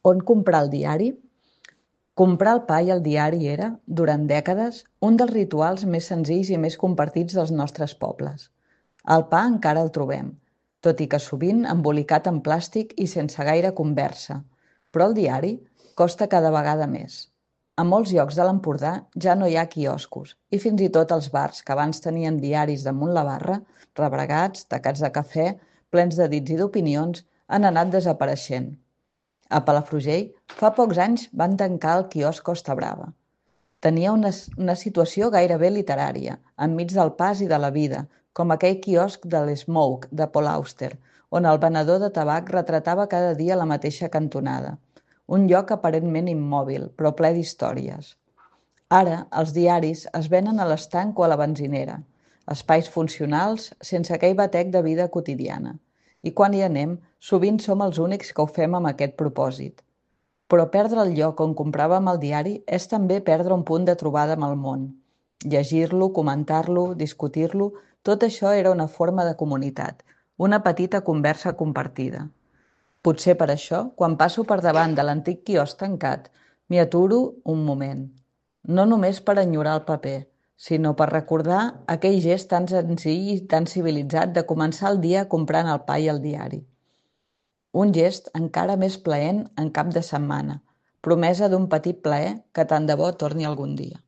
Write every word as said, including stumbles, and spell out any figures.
On comprar el diari? Comprar el pa i el diari era, durant dècades, un dels rituals més senzills i més compartits dels nostres pobles. El pa encara el trobem, tot i que sovint embolicat en plàstic i sense gaire conversa, però el diari costa cada vegada més. A molts llocs de l'Empordà ja no hi ha quioscos i fins i tot els bars que abans tenien diaris damunt la barra, rebregats, tacats de cafè, plens de dits i d'opinions, han anat desapareixent. A Palafrugell, fa pocs anys van tancar el quiosc Costa Brava. Tenia una, una situació gairebé literària, enmig del pas i de la vida, com aquell quiosc de l'Smoke, de Paul Auster, on el venedor de tabac retratava cada dia la mateixa cantonada. Un lloc aparentment immòbil, però ple d'històries. Ara, els diaris es venen a l'estanc o a la benzinera, espais funcionals sense aquell batec de vida quotidiana. I quan hi anem, sovint som els únics que ho fem amb aquest propòsit. Però perdre el lloc on compràvem el diari és també perdre un punt de trobada amb el món. Llegir-lo, comentar-lo, discutir-lo, tot això era una forma de comunitat, una petita conversa compartida. Potser per això, quan passo per davant de l'antic quiosc tancat, m'hi aturo un moment. No només per enyorar el paper, sinó per recordar aquell gest tan senzill i tan civilitzat de començar el dia comprant el pa i el diari. Un gest encara més plaent en cap de setmana, promesa d'un petit plaer que tant de bo torni algun dia.